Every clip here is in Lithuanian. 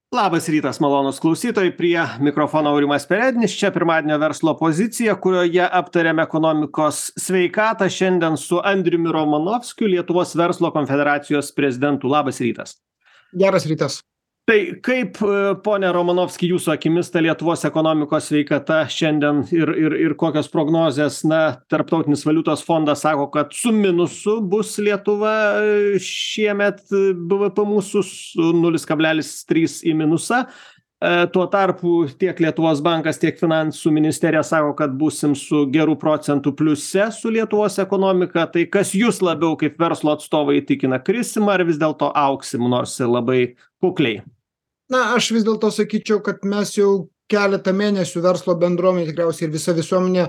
Labas rytas, malonūs klausytojai, prie mikrofono Aurimas Perednis, čia pirmadienio verslo pozicija, kurioje aptariame ekonomikos sveikatą šiandien su Andriumi Romanovskiu, Lietuvos verslo konfederacijos prezidentu. Labas rytas. Geras rytas. Tai kaip, pone Romanovski, jūsų akimis ta Lietuvos ekonomikos sveikata šiandien ir kokios prognozės, Tarptautinis valiutos fondas sako, kad su minusu bus Lietuva šiemet BVP mūsų su 0,3 į minusą. Tuo tarpu tiek Lietuvos bankas, tiek finansų ministerija sako, kad būsim su gerų procentų pliuse su Lietuvos ekonomika. Tai kas jūs labiau kaip verslo atstovai įtikina, krisim ar vis dėlto augsim, nors ir labai kukliai? Aš vis dėlto sakyčiau, kad mes jau keletą mėnesių verslo bendruomenė, tikriausiai ir visa visuomenė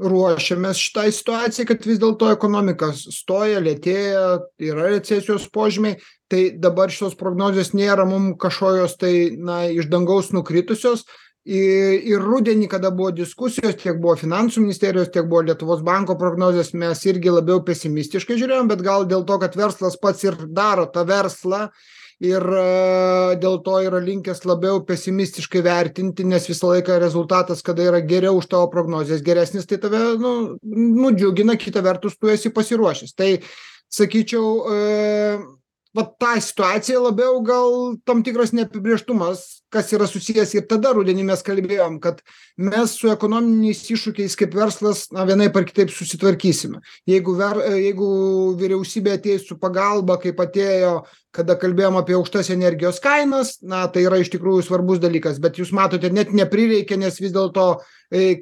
ruošiamės šitai situacijai, kad vis dėlto ekonomika stoja, lėtėja, yra recesijos požymiai. Tai dabar šios prognozijos nėra mums kažkokios iš dangaus nukritusios. Ir rudenį, kada buvo diskusijos, tiek buvo finansų ministerijos, tiek buvo Lietuvos banko prognozijos, mes irgi labiau pesimistiškai žiūrėjom, bet gal dėl to, kad verslas pats ir daro tą verslą, ir dėl to yra linkęs labiau pesimistiškai vertinti, nes visą laiką rezultatas, kada yra geriau už tavo prognozijas geresnis, tai tave nudžiugina, kita vertus tu esi pasiruošęs. Tai sakyčiau, tą situaciją labiau gal tam tikras neapibrėžtumas, kas yra susijęs, ir tada rudenį mes kalbėjom, kad mes su ekonominiais iššūkiais kaip verslas vienaip ar kitaip susitvarkysime. Jeigu vyriausybė ateis su pagalba, kaip atėjo, kada kalbėjom apie aukštas energijos kainas, tai yra iš tikrųjų svarbus dalykas, bet jūs matote, net neprireikia, nes vis dėlto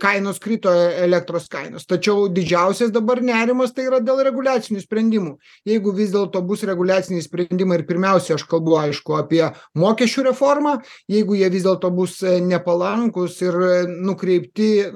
kainos krito, elektros kainos. Tačiau didžiausias dabar nerimas tai yra dėl reguliacinių sprendimų. Jeigu vis dėlto bus reguliaciniai sprendimai, ir pirmiausia, aš kalbu aišku apie mokesčių reformą, jeigu jie vis dėlto bus nepalankus ir nukreipti,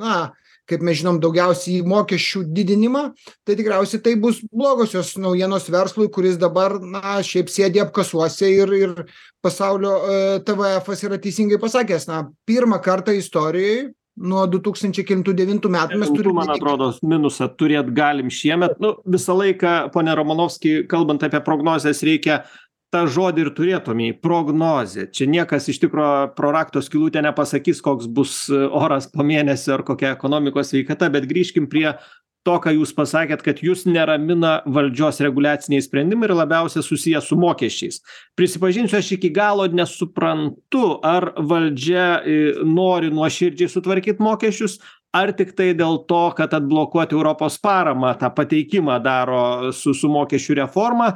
kaip mes žinom, daugiausiai į mokesčių didinimą, tai tikriausiai tai bus blogosios naujienos verslui, kuris dabar, šiaip sėdi apkasuose ir pasaulio TVF yra teisingai pasakęs, pirmą kartą istorijoje nuo 2009 metų mes turime... Man atrodo, minusą turėt galim šiemet. Visą laiką, pone Romanovski, kalbant apie prognozes, reikia tą žodį ir turėtumėj, prognozė. Čia niekas iš tikro pro rakto skylutę nepasakys, koks bus oras po mėnesio ar kokia ekonomikos sveikata, bet grįžkim prie to, ką jūs pasakėt, kad jūs neramina valdžios reguliaciniai sprendimai ir labiausiai susiję su mokesčiais. Prisipažinsiu, aš iki galo nesuprantu, ar valdžia nori nuoširdžiai sutvarkyti mokesčius, ar tik tai dėl to, kad atblokuoti Europos paramą, tą pateikimą daro su mokesčių reforma.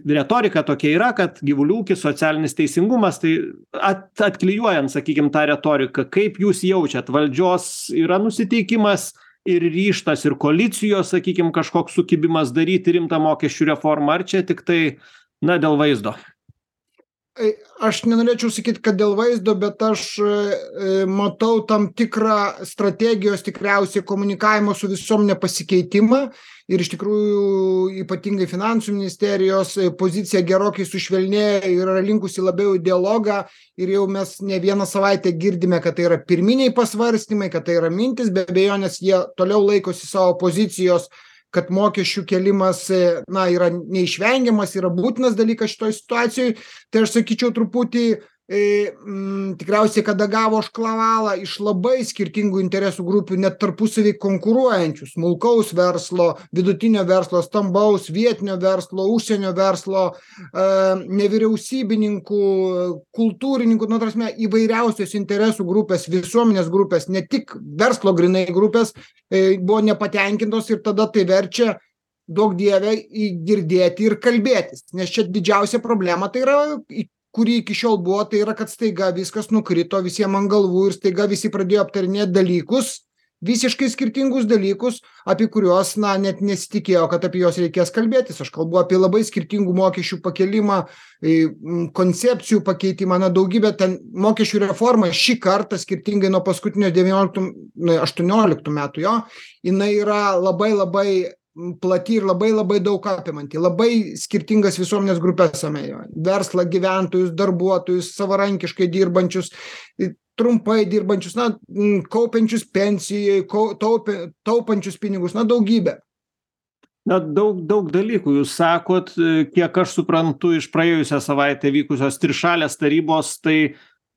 Retorika tokia yra, kad gyvulių ūkis, socialinis teisingumas, tai atklijuojant, sakykim, tą retoriką, kaip jūs jaučiat, valdžios yra nusiteikimas ir ryžtas ir koalicijos, sakykim, kažkoks sukibimas daryti rimtą mokesčių reformą, ar čia tik tai, dėl vaizdo? Aš nenorėčiau sakyti, kad dėl vaizdo, bet aš matau tam tikrą strategijos, tikriausiai komunikavimo su visuomenė pasikeitimą ir iš tikrųjų ypatingai finansų ministerijos pozicija gerokai sušvelnėjo ir yra linkusi labiau į dialogą ir jau mes ne vieną savaitę girdime, kad tai yra pirminiai pasvarstymai, kad tai yra mintis, be abejonės jie toliau laikosi savo pozicijos, kad mokesčių kelimas yra neišvengiamas, yra būtinas dalykas šitoj situacijoj, tai aš sakyčiau truputį tikriausiai, kada gavo šklavalą iš labai skirtingų interesų grupių, net tarpusavį konkuruojančių, smulkaus verslo, vidutinio verslo, stambaus, vietinio verslo, užsienio verslo, nevyriausybininkų, kultūrininkų, įvairiausios interesų grupės, visuomenės grupės, ne tik verslo grinai grupės, buvo nepatenkintos ir tada tai verčia daug dievę girdėti ir kalbėtis. Nes čia didžiausia problema tai yra, kuri iki šiol buvo, tai yra, kad staiga viskas nukrito visiems ant galvų ir staiga visi pradėjo aptarinėti dalykus, visiškai skirtingus dalykus, apie kuriuos net nesitikėjo, kad apie juos reikės kalbėtis. Aš kalbu apie labai skirtingų mokesčių pakelimą, koncepcijų pakeitimą, daugybę ten mokesčių reformą šį kartą skirtingai nuo paskutinio 18 metų jo, jinai yra labai plati ir labai daug apimanti, labai skirtingas visuomenės grupės amėjo. Verslą, gyventojus, darbuotojus, savarankiškai dirbančius, trumpai dirbančius, kaupiančius pensijai, taupančius pinigus, daugybė. Na, daug dalykų jūs sakot, kiek aš suprantu iš praėjusią savaitę vykusios trišalės tarybos, tai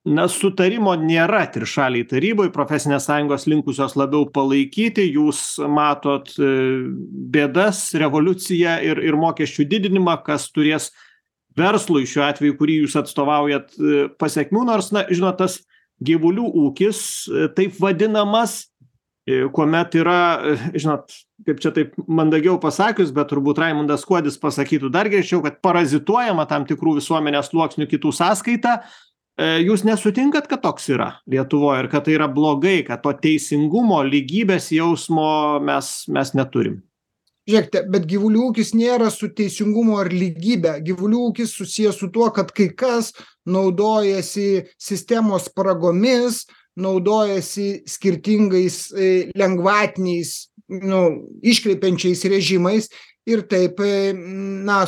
na, sutarimo nėra trišalėj taryboj, profesinės sąjungos linkusios labiau palaikyti, jūs matot bėdas, revoliuciją ir mokesčių didinimą, kas turės verslui šiuo atveju, kurį jūs atstovaujat, pasekmių, nors, na, žinot, tas gyvulių ūkis, taip vadinamas, kuomet yra, žinot, kaip čia taip mandagiau pasakius, bet turbūt Raimundas Kuodis pasakytų dar greičiau, kad parazituojama tam tikrų visuomenės sluoksnių kitų sąskaita. Jūs nesutinkat, kad toks yra Lietuvoje ir kad tai yra blogai, kad to teisingumo, lygybės jausmo mes neturim? Žiūrėkite, bet gyvulių ūkis nėra su teisingumu ar lygybė. Gyvulių ūkis susijęs su tuo, kad kai kas naudojasi sistemos spragomis, naudojasi skirtingais lengvatiniais, iškreipiančiais režimais ir taip,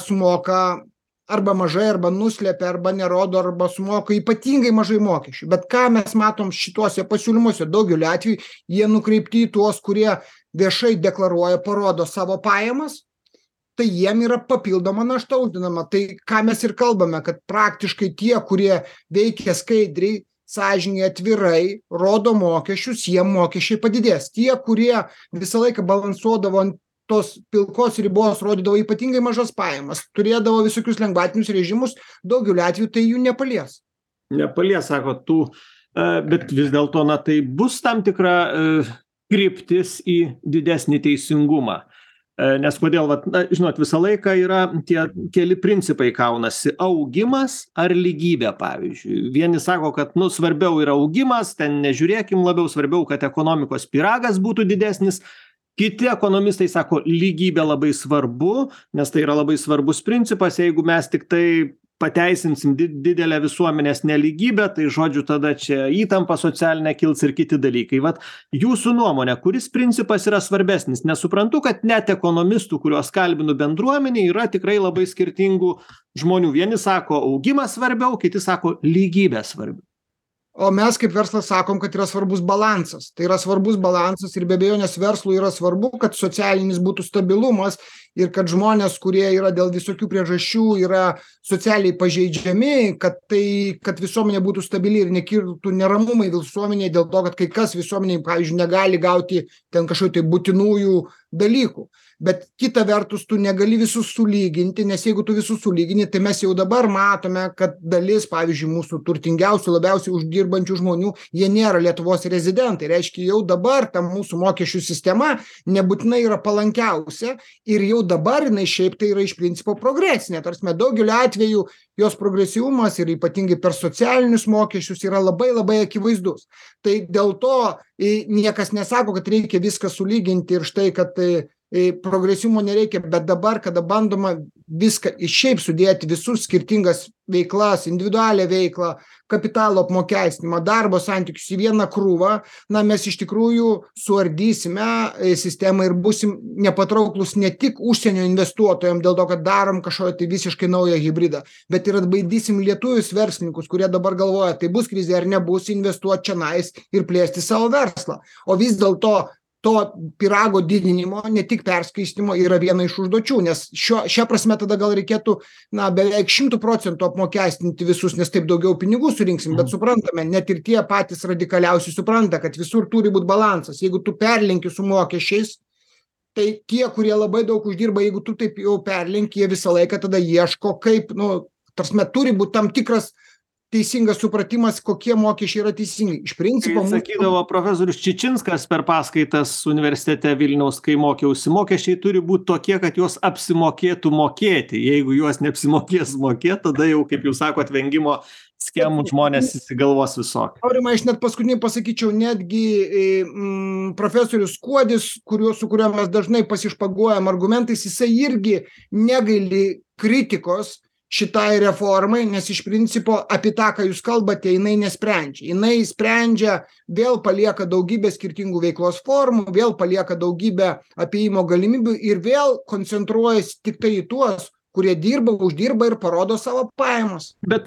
sumoka arba mažai, arba nuslepia, arba nerodo, arba sumoka ypatingai mažai mokesčių. Bet ką mes matom šituose pasiūlymuose, daugeliu atveju jie nukreipti į tuos, kurie viešai deklaruoja, parodo savo pajamas, tai jiem yra papildoma našta uždinama. Tai ką mes ir kalbame, kad praktiškai tie, kurie veikia skaidriai, sąžiningai, atvirai, rodo mokesčius, jiem mokesčiai padidės. Tie, kurie visą laiką balansuodavo ant tos pilkos ribos, rodydavo ypatingai mažas pajamas, turėdavo visokius lengvatinius režimus, daugeliu atveju tai jų nepalies. Nepalies, sako, bet vis dėlto, na, tai bus tam tikra kryptis į didesnį teisingumą. Nes kodėl, žinot, visą laiką yra tie keli principai kaunasi. Augimas ar lygybė, pavyzdžiui. Vieni sako, kad, svarbiau yra augimas, ten nežiūrėkim labiau, svarbiau, kad ekonomikos pyragas būtų didesnis. Kiti ekonomistai sako, lygybė labai svarbu, nes tai yra labai svarbus principas. Jeigu mes tik tai pateisinsim didelę visuomenės nelygybę, tai žodžiu tada čia įtampa socialinė kils ir kiti dalykai. Vat jūsų nuomonė, kuris principas yra svarbesnis? Nesuprantu, kad net ekonomistų, kuriuos kalbinu bendruomenė, yra tikrai labai skirtingų žmonių. Vieni sako, augimas svarbiau, kiti sako, lygybė svarbiau. O mes kaip verslas sakom, kad yra svarbus balansas. Tai yra svarbus balansas ir be abejonės verslui yra svarbu, kad socialinis būtų stabilumas ir kad žmonės, kurie yra dėl visokių priežasčių, yra socialiai pažeidžiami, kad visuomenė būtų stabili ir nekiltų neramumai visuomenėje dėl to, kad kai kas visuomeniai, pavyzdžiui, negali gauti ten kažkokių tai būtinųjų dalykų. Bet kita vertus, tu negali visus sulyginti, nes jeigu tu visus sulygini, tai mes jau dabar matome, kad dalis, pavyzdžiui, mūsų turtingiausių, labiausiai uždirbančių žmonių, jie nėra Lietuvos rezidentai. Reiškia, jau dabar ta mūsų mokesčių sistema nebūtinai yra palankiausia ir jau dabar jinai šiaip tai yra iš principo progresinė. Tarsi daugeliu atveju jos progresyvumas ir ypatingai per socialinius mokesčius yra labai labai akivaizdus. Tai dėl to niekas nesako, kad reikia viską sulyginti ir štai, kad progresyvumo nereikia, bet dabar, kada bandoma viską šiaip sudėti, visus skirtingas veiklas, individualią veiklą, kapitalo apmokestinimą, darbo santykius į vieną krūvą, mes iš tikrųjų suardysime sistemą ir būsim nepatrauklus ne tik užsienio investuotojams dėl to, kad darom kažkokią tai visiškai naują hybridą, bet ir atbaidysim lietuvius verslininkus, kurie dabar galvoja, tai bus krizė ar nebus, investuoti čionais ir plėsti savo verslą. O vis dėlto to pyrago didinimo, ne tik perskirstymo, yra viena iš užduočių, nes šią prasme tada gal reikėtų beveik 100% apmokestinti visus, nes taip daugiau pinigų surinksim, bet suprantame, net ir tie patys radikaliausi supranta, kad visur turi būti balansas. Jeigu tu perlenki su mokesčiais, tai tie, kurie labai daug uždirba, jeigu tu taip jau perlenki, jie visą laiką tada ieško, kaip, turi būti tam tikras teisingas supratimas, kokie mokesčiai yra teisingi. Iš principo... Sakydavo profesorius Čičinskas per paskaitas universitete Vilniaus, kai mokiausi, mokesčiai turi būti tokie, kad juos apsimokėtų mokėti. Jeigu juos neapsimokės mokėti, tada jau, kaip jūs sakot, vengimo schemų žmonės įsigalvos visokį. Aurimai, aš net paskutinį pasakyčiau, netgi profesorius Kuodis, su kuriuo mes dažnai pasišpaguojam argumentais, jisai irgi negaili kritikos šitai reformai, nes iš principo apie tą, ką jūs kalbate, jinai nesprendžia. Jinai sprendžia, vėl palieka daugybę skirtingų veiklos formų, vėl palieka daugybę apėjimo galimybių ir vėl koncentruojasi tik tai į tuos, kurie dirba, uždirba ir parodo savo pajamas. Bet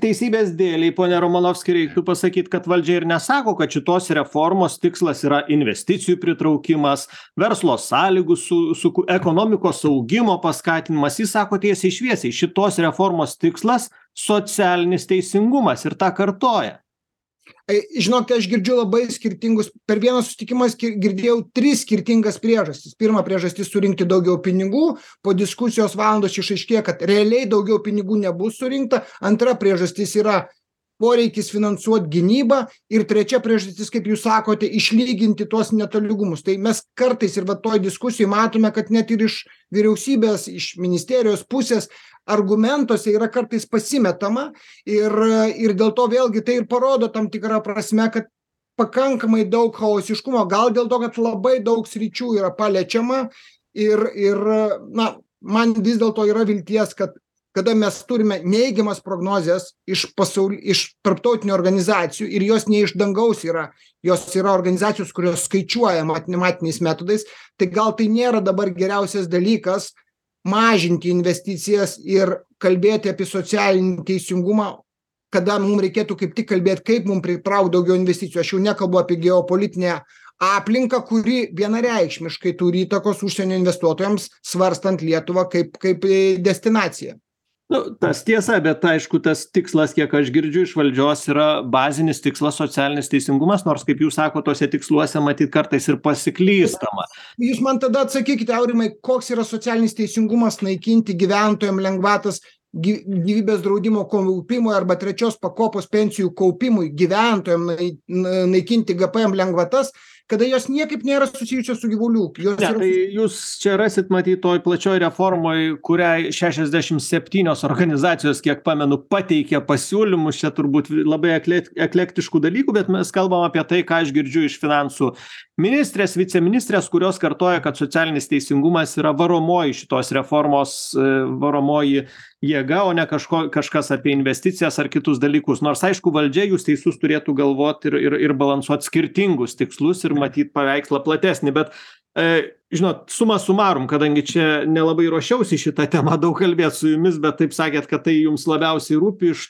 teisybės dėlei, pone Romanovski, reiktų pasakyti, kad valdžia ir nesako, kad šitos reformos tikslas yra investicijų pritraukimas, verslo sąlygų su ekonomikos augimo paskatinimas. Jis sako tiesiai šviesiai, šitos reformos tikslas socialinis teisingumas ir tą kartoja. Žinokite, aš girdžiu labai skirtingus, per vieną susitikimą girdėjau 3 skirtingas priežastis. Pirma priežastis surinkti daugiau pinigų, po diskusijos valandos išaiškėjo, kad realiai daugiau pinigų nebus surinkta. Antra priežastis yra poreikis finansuoti gynybą ir trečia priežastis, kaip jūs sakote, išlyginti tuos netolygumus. Tai mes kartais ir toj diskusijai matome, kad net ir iš vyriausybės, iš ministerijos pusės argumentuose yra kartais pasimetama ir dėl to vėlgi tai ir parodo tam tikrą prasme, kad pakankamai daug chaosiškumo, gal dėl to, kad labai daug sričių yra paliečiama ir man vis dėlto yra vilties, kad kada mes turime neigiamas prognozes iš tarptautinių organizacijų ir jos ne iš dangaus yra, jos yra organizacijos, kurios skaičiuoja matematiniais metodais, tai gal tai nėra dabar geriausias dalykas mažinti investicijas ir kalbėti apie socialinį teisingumą, kada mums reikėtų kaip tik kalbėti, kaip mums pritraukti daugiau investicijų. Aš jau nekalbu apie geopolitinę aplinką, kuri vienareikšmiškai turi įtakos užsienio investuotojams, svarstant Lietuvą kaip destinaciją. Tas tiesa, bet aišku, tas tikslas, kiek aš girdžiu iš valdžios, yra bazinis tikslas socialinis teisingumas, nors, kaip jūs sako, tose tiksluose matyt kartais ir pasiklystama. Jūs man tada atsakykite, Aurimai, koks yra socialinis teisingumas naikinti gyventojams lengvatas gyvybės draudimo kaupimui arba 3 pakopos pensijų kaupimui, gyventojams naikinti GPM lengvatas, kada jos niekaip nėra susijusios su gyvulių ūkiu. Tai jūs čia rasit, matyt, toj plačioj reformoj, kuriai 67 organizacijos, kiek pamenu, pateikė pasiūlymus, čia turbūt labai eklektiškų dalykų, bet mes kalbam apie tai, ką aš girdžiu iš finansų ministrės, viceministrės, kurios kartoja, kad socialinis teisingumas yra varomoji šitos reformos, varomoji jėga, o ne kažkas apie investicijas ar kitus dalykus. Nors, aišku, valdžia, jūs teisus, turėtų galvoti ir balansuoti skirtingus tikslus ir matyt paveikslą platesnį. Bet, žinot, suma sumarum, kadangi čia nelabai ruošiausi šitą temą daug kalbėti su jumis, bet taip sakėt, kad tai jums labiausiai rūpi iš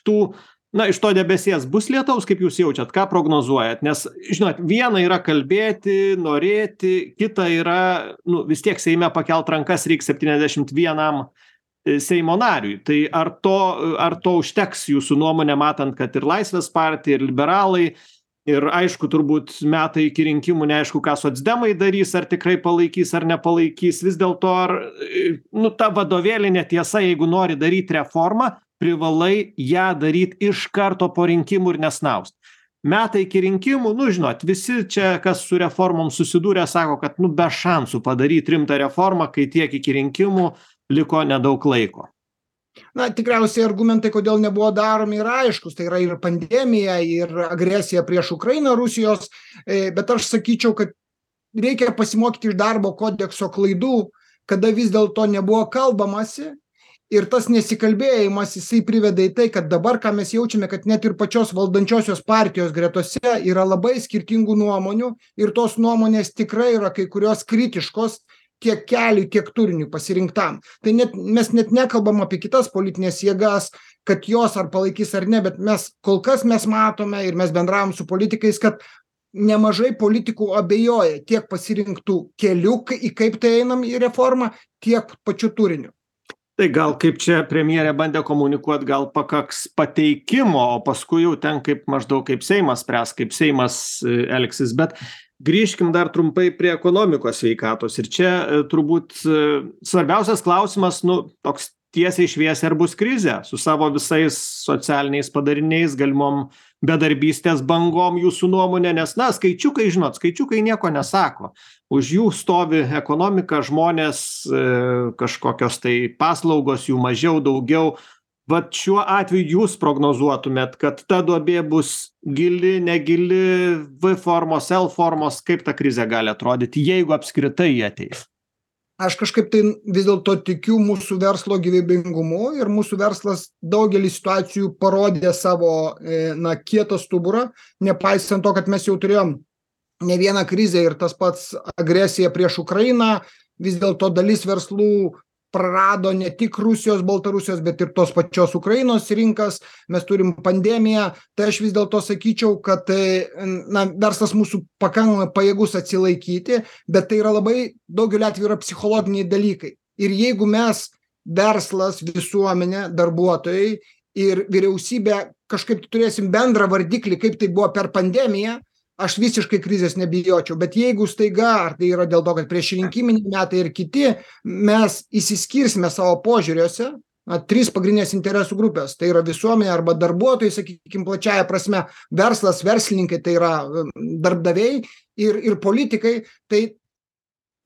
to debesies bus lietaus, kaip jūs jaučiat, ką prognozuojat? Nes, žinot, viena yra kalbėti, norėti, kita yra, vis tiek Seime pakelt rankas reikia 71 Seimo nariui. Tai ar to užteks jūsų nuomonė, matant, kad ir Laisvės partija, ir liberalai, ir aišku, turbūt metai iki rinkimų, neaišku, ką socdemai darys, ar tikrai palaikys, ar nepalaikys. Vis dėlto, ta vadovėlinė tiesa, jeigu nori daryti reformą, privalai ją daryti iš karto po rinkimų ir nesnaust. Metai iki rinkimų, žinot, visi čia, kas su reformom susidūrė, sako, kad be šansų padaryti rimtą reformą, kai tiek iki rinkimų liko nedaug laiko. Tikriausiai argumentai, kodėl nebuvo daromi, yra aiškus. Tai yra ir pandemija, ir agresija prieš Ukrainą Rusijos, bet aš sakyčiau, kad reikia pasimokyti iš darbo kodekso klaidų, kada vis dėlto nebuvo kalbamasi ir tas nesikalbėjimas, jisai priveda į tai, kad dabar, ką mes jaučiame, kad net ir pačios valdančiosios partijos gretose yra labai skirtingų nuomonių ir tos nuomonės tikrai yra kai kurios kritiškos tiek keliui, tiek turiniui pasirinktam. Tai mes net nekalbam apie kitas politinės jėgas, kad jos ar palaikys ar ne, bet kol kas mes matome ir mes bendravom su politikais, kad nemažai politikų abejoja tiek pasirinktų kelių, į kaip tai einam į reformą, tiek pačiu turiniu. Tai gal kaip čia premjerė bandė komunikuoti, gal pakaks pateikimo, o paskui jau ten maždaug kaip Seimas spręs, kaip Seimas elgsis, bet grįžkim dar trumpai prie ekonomikos sveikatos. Ir čia turbūt svarbiausias klausimas, toks tiesiai šviesiai, ar bus krizė su savo visais socialiniais padariniais, galimom bedarbystės bangom, jūsų nuomonė, nes, skaičiukai nieko nesako. Už jų stovi ekonomika, žmonės, kažkokios tai paslaugos, jų mažiau, daugiau. Vat šiuo atveju jūs prognozuotumėt, kad ta duobė bus gili, negili, V formos, L formos, kaip ta krizė gali atrodyti, jeigu apskritai jie ateis? Aš kažkaip tai vis dėlto tikiu mūsų verslo gyvybingumu ir mūsų verslas daugelį situacijų parodė savo kietą stuburą, nepaisant to, kad mes jau turėjom ne vieną krizę ir tas pats agresija prieš Ukrainą, vis dėlto dalis verslų prarado ne tik Rusijos, Baltarusijos, bet ir tos pačios Ukrainos rinkas, mes turim pandemiją, tai aš vis dėlto sakyčiau, kad verslas mūsų pakankamai pajėgus atsilaikyti, bet tai yra labai daugeliu atveju yra psichologiniai dalykai. Ir jeigu mes, verslas, visuomenė, darbuotojai ir vyriausybė kažkaip turėsim bendrą vardiklį, kaip tai buvo per pandemiją, aš visiškai krizės nebijočiau, bet jeigu staiga, ar tai yra dėl to, kad priešrinkiminiai metai ir kiti, mes įsiskirsime savo požiūriuose, 3 pagrindinės interesų grupės, tai yra visuomenė arba darbuotojai, sakykime, plačiaja prasme, verslas, verslininkai, tai yra darbdaviai ir politikai, tai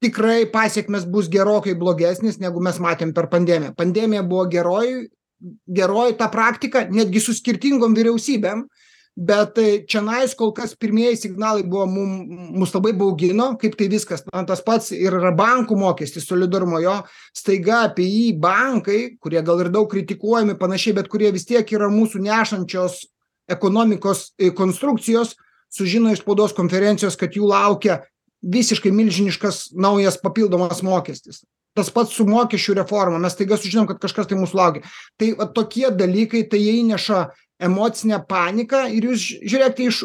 tikrai pasiekmes bus gerokai blogesnis, negu mes matėm per pandemiją. Pandemija buvo geroji ta praktika, netgi su skirtingom vyriausybėm, bet čionais kol kas pirmieji signalai buvo mus labai baugino, kaip tai viskas, tas pats ir yra bankų mokestis, solidarumo jo, staiga apie jį bankai, kurie gal ir daug kritikuojami panašiai, bet kurie vis tiek yra mūsų nešančios ekonomikos konstrukcijos, sužino iš spaudos konferencijos, kad jų laukia visiškai milžiniškas naujas papildomas mokestis. Tas pats su mokesčių reforma, mes staiga sužinom, kad kažkas tai mūsų laukia. Tai tokie dalykai, tai jie įneša emocinę paniką ir jūs žiūrėkite iš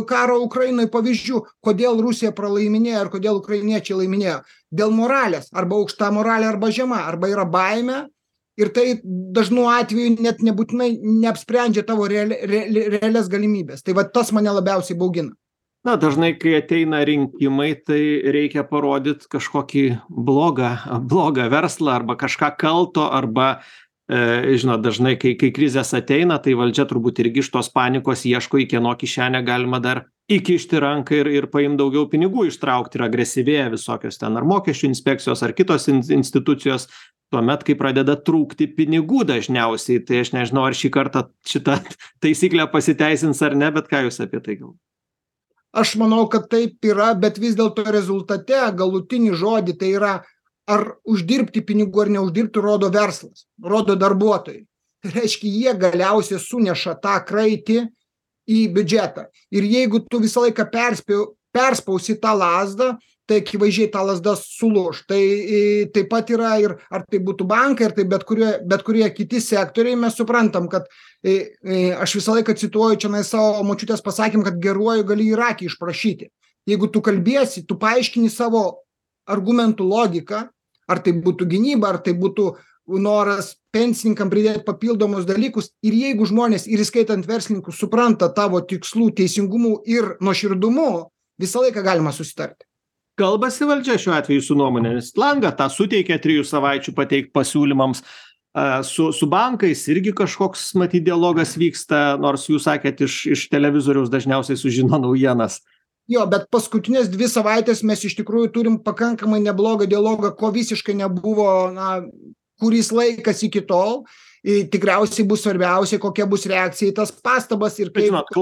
karo Ukrainoje pavyzdžių, kodėl Rusija pralaiminėjo ir kodėl ukrainiečiai laiminėjo. Dėl moralės, arba aukšta moralė, arba žema, arba yra baimė ir tai dažnu atveju net nebūtinai neapsprendžia tavo realias galimybės. Tai va tas mane labiausiai baugina. Na, dažnai, kai ateina rinkimai, tai reikia parodyti kažkokį blogą verslą arba kažką kalto, arba žinot, dažnai, kai krizės ateina, tai valdžia turbūt irgi iš tos panikos ieško, į kieno kišenę galima dar įkišti ranką ir paimti daugiau pinigų, ištraukti ir agresyvėja visokios ten ar mokesčių inspekcijos ar kitos institucijos, tuomet, kai pradeda trūkti pinigų dažniausiai, tai aš nežinau, ar šį kartą šitą taisyklę pasiteisins ar ne, bet ką jūs apie tai galvojate? Aš manau, kad taip yra, bet vis dėlto rezultate galutinį žodį tai yra ar uždirbti pinigų ar neuždirbti, rodo verslas, rodo darbuotojai. Tai reiškia, jie galiausiai suneša tą kraitį į biudžetą. Ir jeigu tu visą laiką perspausi tą lazdą, tai akivaizdžiai ta lazda sulūš. Tai taip pat yra ir ar tai būtų bankai, ar tai bet kurie kiti sektoriai, mes suprantam, kad aš visą laiką cituoju čia savo močiutės pasakymą, kad geruoju gali ir akį išprašyti. Jeigu tu kalbėsi, tu paaiškini savo argumentų logiką, ar tai būtų gynyba, ar tai būtų noras pensininkam pridėti papildomus dalykus, ir jeigu žmonės, ir įskaitant verslininkus, supranta tavo tikslų teisingumu ir nuoširdumu, visą laiką galima susitarti. Kalbasi valdžia šiuo atveju su nuomonėmis. Langą tą suteikia 3 savaičių pateikti pasiūlymams. Su bankais irgi kažkoks, matyt, dialogas vyksta, nors jūs sakėt, iš televizoriaus dažniausiai sužino naujienas. Jo, bet paskutinės 2 savaitės mes iš tikrųjų turim pakankamai neblogą dialogą, ko visiškai nebuvo, kuris laikas iki tol. Tikriausiai bus svarbiausia, kokia bus reakcija į tas pastabas ir kaip... Žinot,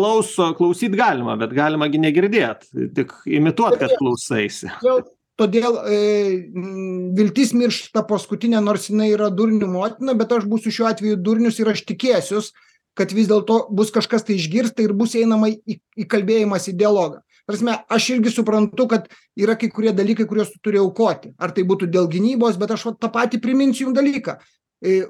klausyt galima, bet galima gi negirdėt, tik imituot, kad klausaisi. Todėl viltis miršta paskutinė, nors jinai yra durnių motina, bet aš būsiu šiuo atveju durnius ir aš tikėsius, kad vis dėlto bus kažkas tai išgirsta ir bus einama į kalbėjimas, į dialogą. Prasme, aš irgi suprantu, kad yra kai kurie dalykai, kuriuos tu turi aukoti. Ar tai būtų dėl gynybos, bet aš tą patį priminsiu jums dalyką.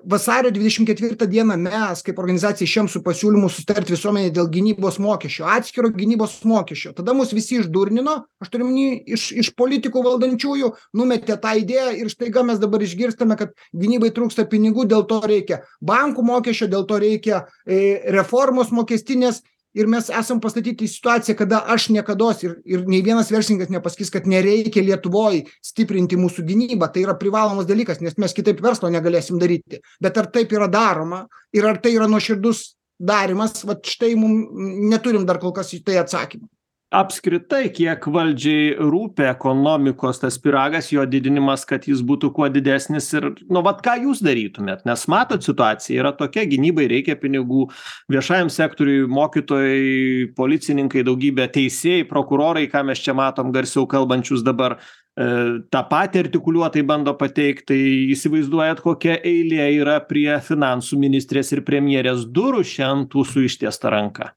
Vasario 24 dieną mes, kaip organizacija, išėjom su pasiūlymu susitarti visuomenėje dėl gynybos mokesčio, atskiro gynybos mokesčio. Tada mus visi išdurnino, aš turiu iš politikų valdančiųjų, numetė tą idėją ir staiga mes dabar išgirstame, kad gynybai trūksta pinigų, dėl to reikia bankų mokesčio, dėl to reikia reformos mokestinės. Ir mes esam pastatyti į situaciją, kada aš niekados ir nei vienas verslininkas nepasakys, kad nereikia Lietuvoje stiprinti mūsų gynybą. Tai yra privalomas dalykas, nes mes kitaip verslo negalėsim daryti. Bet ar taip yra daroma ir ar tai yra nuoširdus darimas, va štai mums neturim dar kol kas į tai atsakymą. Apskritai, kiek valdžiai rūpi ekonomikos tas pyragas, jo didinimas, kad jis būtų kuo didesnis ir, ką jūs darytumėt? Nes matot, situacija yra tokia, gynybai reikia pinigų, viešajam sektoriui, mokytojai, policininkai, daugybė teisėjai, prokurorai, ką mes čia matom garsiau kalbančius dabar, tą patį artikuliuotai bando pateikti, tai įsivaizduojat, kokia eilė yra prie finansų ministrės ir premjerės durų šiandien tų su ištiesta ranka.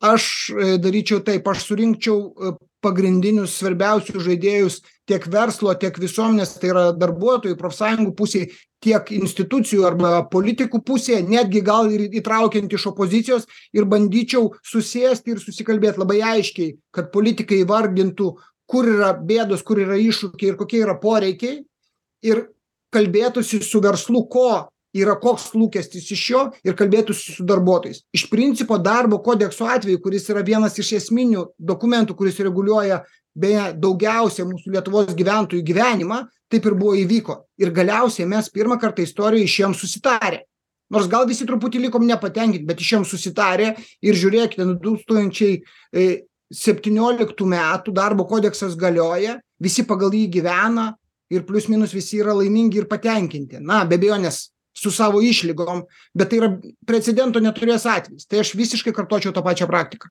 Aš daryčiau taip, aš surinkčiau pagrindinius svarbiausius žaidėjus tiek verslo, tiek visuomenės, tai yra darbuotojų, profsąjungų pusėje, tiek institucijų arba politikų pusėje, netgi gal ir įtraukiant iš opozicijos, ir bandyčiau susėsti ir susikalbėti labai aiškiai, kad politikai įvardintų, kur yra bėdos, kur yra iššūkiai ir kokie yra poreikiai, ir kalbėtųsi su verslu, koks lūkestis iš jo, ir kalbėtųsi su darbuotojais. Iš principo darbo kodekso atveju, kuris yra vienas iš esminių dokumentų, kuris reguliuoja beje daugiausia mūsų Lietuvos gyventojų gyvenimą, taip ir buvo įvyko. Ir galiausiai mes pirmą kartą istorijoje išėjom susitarę. Nors gal visi truputį likom nepatenkinti, bet išėjom susitarę ir žiūrėkite, 2017 metų darbo kodeksas galioja, visi pagal jį gyvena ir plius minus visi yra laimingi ir patenkinti. Na, be abejonės su savo išlygom, bet tai yra precedento neturės atvejis. Tai aš visiškai kartočiau tą pačią praktiką.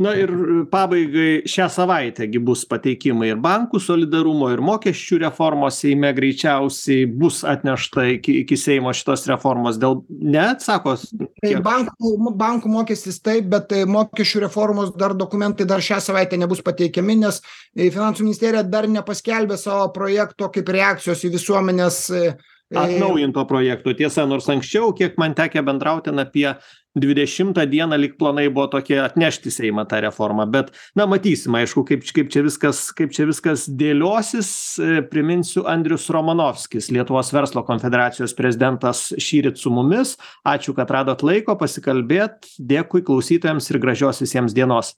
Na ir pabaigai šią savaitę bus pateikimai ir bankų solidarumo, ir mokesčių reformos Seime greičiausiai bus atnešta iki Seimo šitos reformos. Sako? Tai bankų mokestis taip, bet mokesčių reformos dokumentai dar šią savaitę nebus pateikiami, nes Finansų ministerija dar nepaskelbė savo projekto kaip reakcijos į visuomenės atnaujinto projekto. Tiesa, nors anksčiau, kiek man tekę bendrauti, apie 20 dieną lyg planai buvo tokie atnešti Seimą tą reformą, bet matysim, aišku, kaip čia viskas dėliosis. Priminsiu, Andrius Romanovskis, Lietuvos verslo konfederacijos prezidentas, šįryt su mumis. Ačiū, kad radot laiko pasikalbėt. Dėkui klausytojams ir gražios visiems dienos.